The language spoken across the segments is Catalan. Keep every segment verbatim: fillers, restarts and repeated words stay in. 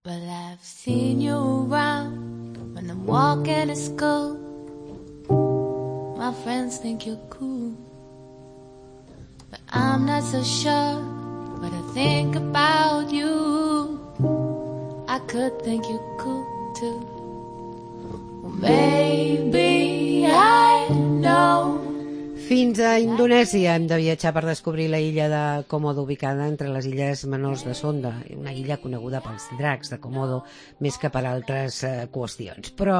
But I've seen you around when I'm walking to school. My friends think you're cool, but I'm not so sure what I think about you. I could think you're cool too. Well, maybe I know. Fins a Indonèsia hem de viatjar per descobrir la illa de Komodo, ubicada entre les illes menors de Sonda, una illa coneguda pels dracs de Komodo més que per altres eh, qüestions. Però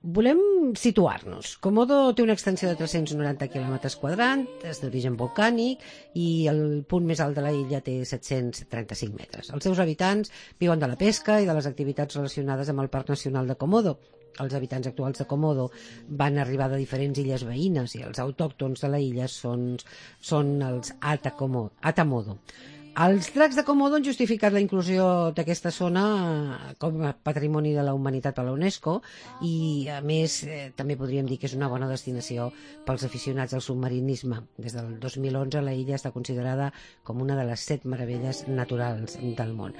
volem situar-nos. Komodo té una extensió de tres-cents noranta quilòmetres quadrats, és d'origen volcànic i el punt més alt de la illa té set-cents trenta-cinc metres. Els seus habitants viuen de la pesca i de les activitats relacionades amb el Parc Nacional de Komodo. Els habitants actuals de Komodo van arribar de diferents illes veïnes i els autòctons de la illa són, són els Atakomo, Atamodo. Els dracs de Komodo han justificat la inclusió d'aquesta zona com a patrimoni de la humanitat per la UNESCO i, a més, eh, també podríem dir que és una bona destinació pels aficionats al submarinisme. Des del dos mil onze la illa està considerada com una de les set meravelles naturals del món.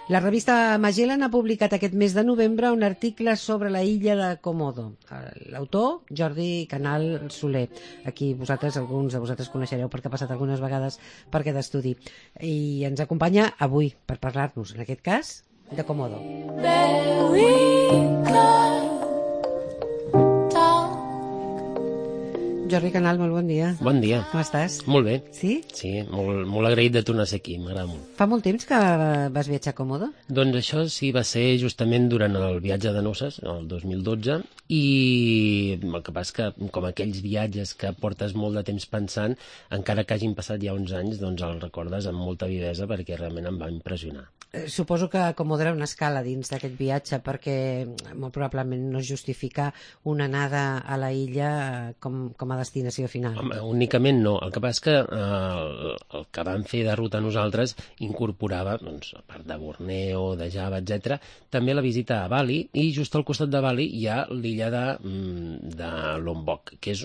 La revista Magellan ha publicat aquest mes de novembre un article sobre la illa de Komodo. L'autor, Jordi Canal Soler, aquí vosaltres, alguns de vosaltres coneixereu perquè ha passat algunes vegades per aquest estudi. I ens acompanya avui per parlar-nos, en aquest cas, de Komodo. Jordi Canal, molt bon dia. Bon dia. Com estàs? Molt bé. Sí? Sí, molt, molt agraït de tornar a ser aquí, m'agrada molt. Fa molt temps que vas viatjar a Komodo? Doncs això sí, va ser justament durant el viatge de noces, el dos mil dotze, i el que passa que, com aquells viatges que portes molt de temps pensant, encara que hagin passat ja uns anys, doncs el recordes amb molta vivesa perquè realment em va impressionar. Suposo que Komodo era una escala dins d'aquest viatge perquè molt probablement no es justifica una anada a la illa com, com a destinació final. Home, únicament no. El que passa és que eh, el que vam fer de ruta nosaltres incorporava, doncs, a part de Borneo, de Java, etcètera, també la visita a Bali, i just al costat de Bali hi ha l'illa de, de Lombok, que és,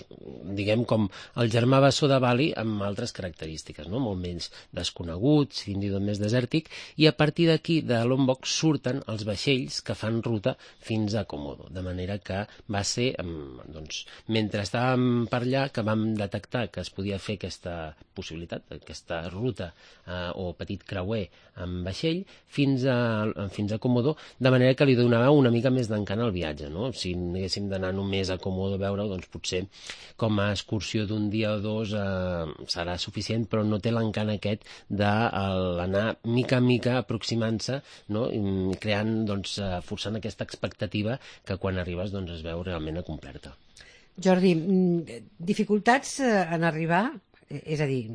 diguem, com el germà bessó de Bali amb altres característiques, no? Molt menys desconeguts, fins i tot més desèrtic, i a partir d'aquí, de Lombok, surten els vaixells que fan ruta fins a Komodo, de manera que va ser, doncs, mentre estàvem per allà, que vam detectar que es podia fer aquesta possibilitat, aquesta ruta eh, o petit creuer amb vaixell fins a, fins a Komodo, de manera que li donava una mica més d'encant al viatge, no? Si haguéssim d'anar només a Komodo a veure-ho, doncs potser com a excursió d'un dia o dos eh, serà suficient, però no té l'encant aquest d'anar mica a mica aproximant-se, no? Creant, doncs, forçant aquesta expectativa que quan arribes doncs, es veu realment acomplerta. Jordi, dificultats en arribar? És a dir,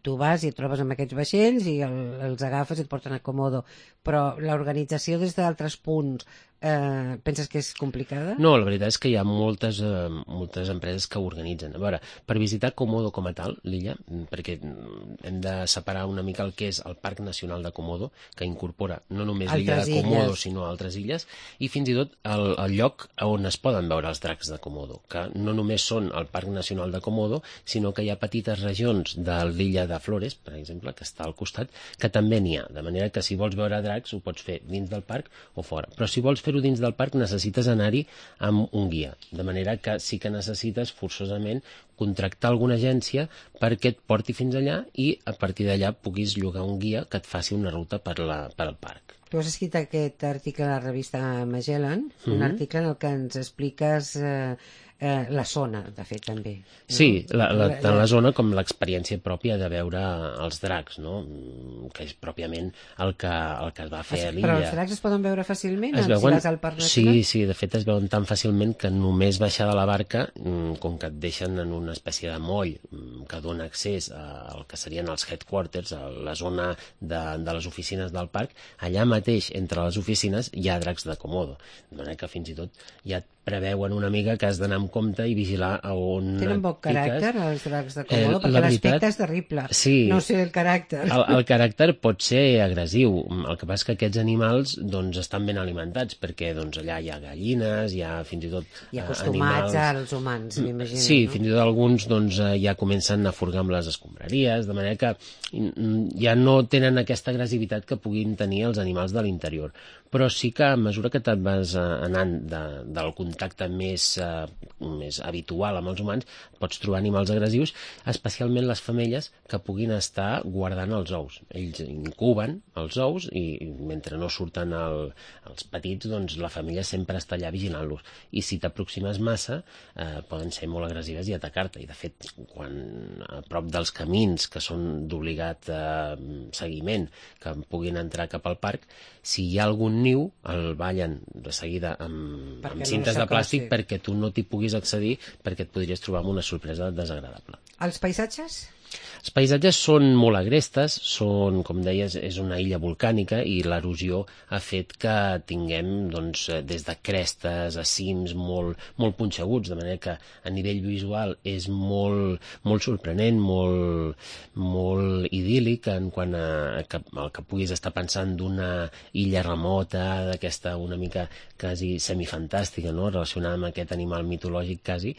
tu vas i et trobes amb aquests vaixells i el, els agafes i et porten a Komodo, però l'organització des d'altres punts eh, penses que és complicada? No, la veritat és que hi ha moltes, eh, moltes empreses que ho organitzen. A veure, per visitar Komodo com a tal, l'illa, perquè hem de separar una mica el que és el Parc Nacional de Komodo, que incorpora no només l'illa de Komodo, illes. sinó altres illes, i fins i tot el, el lloc on es poden veure els dracs de Komodo, que no només són el Parc Nacional de Komodo, sinó que hi ha petites regions de l'illa de Flores, per exemple, que està al costat, que també n'hi ha, de manera que si vols veure dracs ho pots fer dins del parc o fora. Però si vols fer-ho dins del parc necessites anar-hi amb un guia, de manera que sí que necessites forçosament contractar alguna agència perquè et porti fins allà i a partir d'allà puguis llogar un guia que et faci una ruta per, la, per al parc. Tu has escrit aquest article a la revista Magellan, mm-hmm. un article en el que ens expliques eh, eh, la zona, de fet, també. No? Sí, la, la, tant la zona com l'experiència pròpia de veure els dracs, no? Que és pròpiament el que, el que es va fer a l'illa. Però els dracs es poden veure fàcilment? Es veuen... Si vas al Parc Nacional? Sí, sí, de fet es veuen tan fàcilment que només baixar de la barca, com que et deixen en una espècie de moll que dona accés al que serien els headquarters, a la zona de, de les oficines del parc, allà mateix, entre les oficines, hi ha dracs de Komodo. De manera que fins i tot ja et preveuen una mica que has d'anar amb amb compte i vigilar a on Tenen poc caràcter, piques. els dracs de Komodo, Eh, perquè la l'aspecte veritat- és terrible. Sí. No sé el caràcter. El, el caràcter pot ser agressiu. El que passa és que aquests animals doncs, estan ben alimentats, perquè doncs, allà hi ha gallines, hi ha fins i tot I eh, acostumats animals... als humans, m'imagino. Sí, no? fins i tot alguns doncs, eh, ja comencen a furgar amb les escombraries, de manera que mm, ja no tenen aquesta agressivitat que puguin tenir els animals de l'interior. Però sí que a mesura que te'n vas eh, anant de, del contacte més, eh, més habitual amb els humans, pots trobar animals agressius, especialment les femelles que puguin estar guardant els ous. Ells incuben els ous i, i mentre no surten el, els petits, doncs la femella sempre està allà vigilant-los. I si t'aproximes massa, eh, poden ser molt agressives i atacar-te. I de fet, quan a prop dels camins que són d'obligat eh, seguiment, que puguin entrar cap al parc, si hi ha algun niu, el ballen de seguida amb, Perquè amb no cintes de s'acosti. plàstic perquè tu no t'hi puguis accedir, perquè et podries trobar amb una sorpresa desagradable. Els paisatges? Els paisatges són molt agrestes, són, com deies, és una illa volcànica i l'erosió ha fet que tinguem doncs, des de crestes a cims molt, molt punxeguts, de manera que a nivell visual és molt, molt sorprenent, molt, molt idíl·lic en quant a, que, el que puguis estar pensant d'una illa remota, d'aquesta una mica quasi semifantàstica, no? Relacionada amb aquest animal mitològic quasi,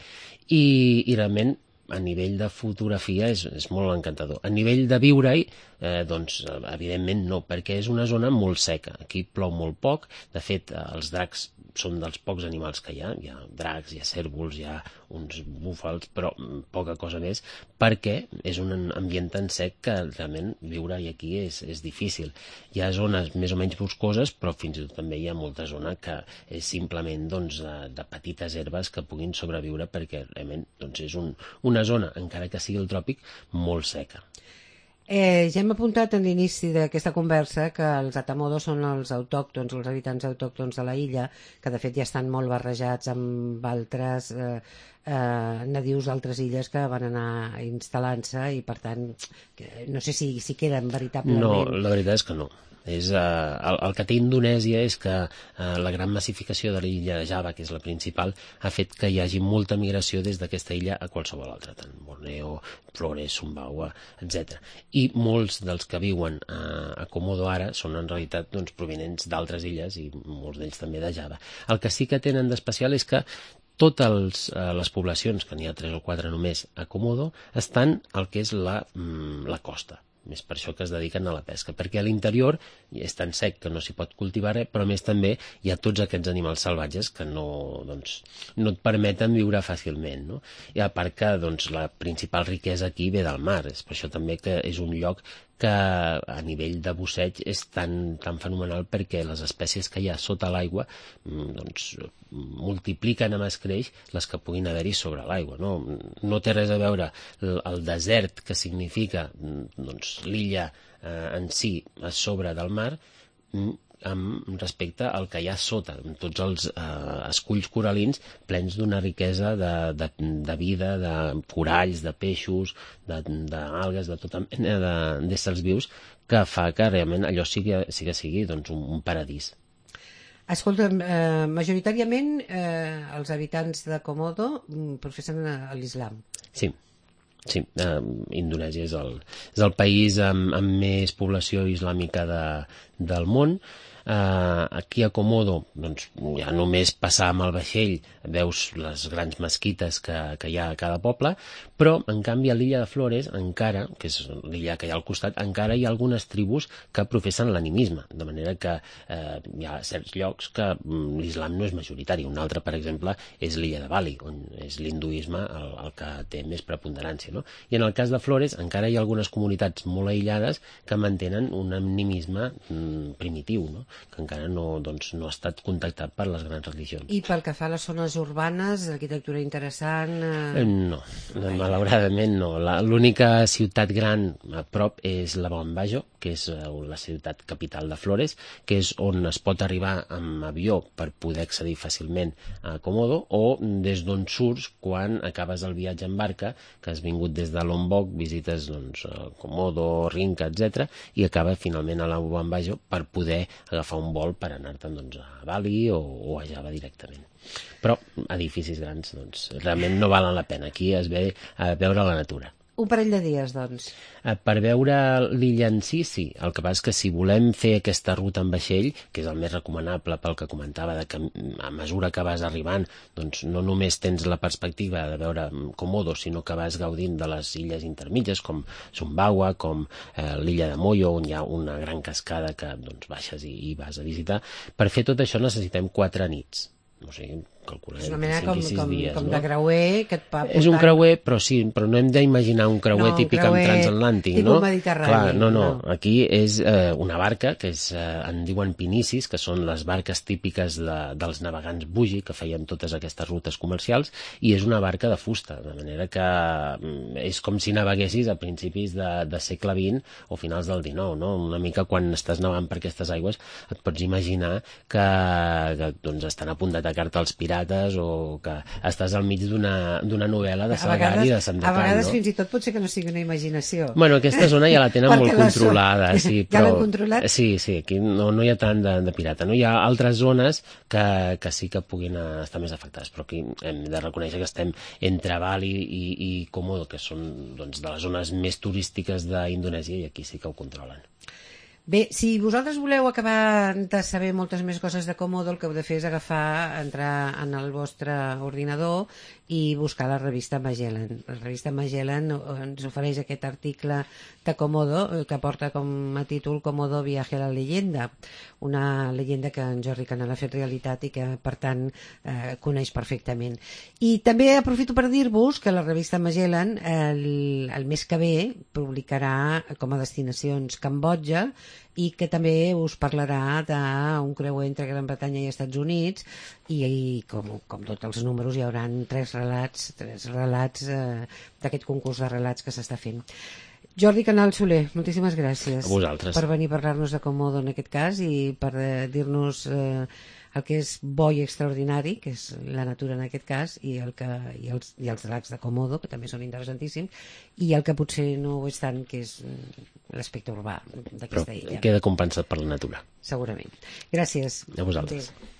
i, i realment a nivell de fotografia és, és molt encantador. A nivell de viure-hi, eh, doncs, evidentment no, perquè és una zona molt seca. Aquí plou molt poc. De fet, els dracs són dels pocs animals que hi ha. Hi ha dracs, hi ha cérvols, hi ha uns búfals, però poca cosa més, perquè és un ambient tan sec que realment viure-hi aquí és, és difícil. Hi ha zones més o menys boscoses, però fins i tot també hi ha molta zona que és simplement doncs, de, de petites herbes que puguin sobreviure, perquè realment doncs, és un, una zona, encara que sigui el tròpic, molt seca. Eh, ja hem apuntat en l'inici d'aquesta conversa que els Atamodo són els autòctons, els habitants autòctons de la illa, que de fet ja estan molt barrejats amb altres eh, eh, nadius d'altres illes que van anar instal·lant-se i per tant que, no sé si, si queden veritablement... No, la veritat és que no. És, uh, el, el que té Indonèsia és que uh, la gran massificació de l'illa de Java, que és la principal, ha fet que hi hagi molta migració des d'aquesta illa a qualsevol altra, tant Borneo, Flores, Sumbawa, etcètera. I molts dels que viuen a, a Komodo ara són en realitat doncs, provenents d'altres illes i molts d'ells també de Java. El que sí que tenen d'especial és que totes eh, les poblacions, que n'hi ha tres o quatre només a Komodo, estan al que és la, mm, la costa. És per això que es dediquen a la pesca, perquè a l'interior és tan sec que no s'hi pot cultivar res, però a més també hi ha tots aquests animals salvatges que no, doncs, no et permeten viure fàcilment, no? I a part que doncs, la principal riquesa aquí ve del mar, és per això també que és un lloc que a nivell de busseig és tan, tan fenomenal, perquè les espècies que hi ha sota l'aigua doncs, multipliquen a escreix les que puguin haver-hi sobre l'aigua. No? no té res a veure el, el desert, que significa doncs, l'illa eh, en si a sobre del mar, amb respecte al que hi ha sota, amb tots els eh, esculls coralins plens d'una riquesa de, de, de vida, de coralls, de peixos, d'algues, de, de tota mena d'éssers vius, que fa que realment allò sigui, sigui, sigui doncs, un, un paradís. Escolta, eh, majoritàriament eh, els habitants de Komodo professen l'islam. Sí. Sí, eh, Indonèsia és el, és el país amb, amb més població islàmica de, del món. Uh, aquí a Komodo doncs, ja només passar amb el vaixell veus les grans mesquites que, que hi ha a cada poble, però en canvi a l'illa de Flores encara, que és l'illa que hi ha al costat, encara hi ha algunes tribus que professen l'animisme, de manera que eh, hi ha certs llocs que mm, l'islam no és majoritari. Un altre, per exemple, és l'illa de Bali, on és l'hinduisme el, el que té més preponderància, no? I en el cas de Flores encara hi ha algunes comunitats molt aïllades que mantenen un animisme mm, primitiu, no? Que encara no, doncs, no ha estat contactat per les grans religions. I pel que fa a les zones urbanes, arquitectura interessant... Eh... No, malauradament no. L'única ciutat gran a prop és la Bambajo, que és la ciutat capital de Flores, que és on es pot arribar amb avió per poder accedir fàcilment a Komodo, o des d'on surts quan acabes el viatge en barca, que has vingut des de Lombok, visites doncs, Komodo, Rinca, etcètera, i acaba finalment a la Bambajo per poder agafar d'agafar un vol per anar-te'n doncs, a Bali o, o a Java directament. Però edificis grans doncs, realment no valen la pena. Aquí es ve a veure la natura. Un parell de dies, doncs. Per veure l'illa en si, sí. El que passa és que si volem fer aquesta ruta en vaixell, que és el més recomanable pel que comentava, de que a mesura que vas arribant, doncs no només tens la perspectiva de veure Komodo, sinó que vas gaudint de les illes intermitges, com Sumbawa, com eh, l'illa de Moyo, on hi ha una gran cascada que doncs, baixes i, i vas a visitar. Per fer tot això necessitem quatre nits. O sigui, calcularem és una mena com, cinc i sis com, dies, com no? de creuer que et va portant... És un creuer, però sí, però no hem d'imaginar un creuer no, típic creuer amb transatlàntic, tipus no? mediterrani. Clar, no, no, no. Aquí és eh, una barca que és, eh, en diuen pinicis, que són les barques típiques de, dels navegants bugi, que feien totes aquestes rutes comercials, i és una barca de fusta, de manera que mm, és com si naveguessis a principis de, de segle vint o finals del dinou, no? Una mica quan estàs navegant per aquestes aigües et pots imaginar que, que doncs, estan a punt d'atacar-te els pirates o que estàs al mig d'una novel·la de Salgari i de Sandekan, a vegades no? fins i tot pot ser que no sigui una imaginació. Bueno, aquesta zona ja la tenen molt controlada. Sí, ja però... l'han controlat? Sí, sí, aquí no, no hi ha tant de, de pirata. No? Hi ha altres zones que, que sí que puguin estar més afectades, però aquí hem de reconèixer que estem entre Bali i, i Komodo, que són doncs, de les zones més turístiques d'Indonèsia, i aquí sí que ho controlen. Bé, si vosaltres voleu acabar de saber moltes més coses de Komodo, el que heu de fer és agafar, entrar en el vostre ordinador i buscar la revista Magellan. La revista Magellan ens ofereix aquest article de Komodo que porta com a títol Komodo viaje a la leyenda, una llegenda que en Jordi Canal ha fet realitat i que, per tant, eh, coneix perfectament. I també aprofito per dir-vos que la revista Magellan el, el mes que ve publicarà com a destinacions Cambodja i que també us parlarà d'un creuer entre Gran Bretanya i Estats Units i, i com, com tots els números hi haurà tres relats, tres relats eh, d'aquest concurs de relats que s'està fent. Jordi Canal Soler, moltíssimes gràcies a vosaltres per venir a parlar-nos de Komodo en aquest cas i per eh, dir-nos eh, el que és bo i extraordinari, que és la natura en aquest cas, i, el que, i, els, i els dracs de Komodo, que també són interessantíssims, i el que potser no ho és tant, que és l'aspecte urbà d'aquesta illa. Queda compensat per la natura. Segurament. Gràcies. A vosaltres. Adéu.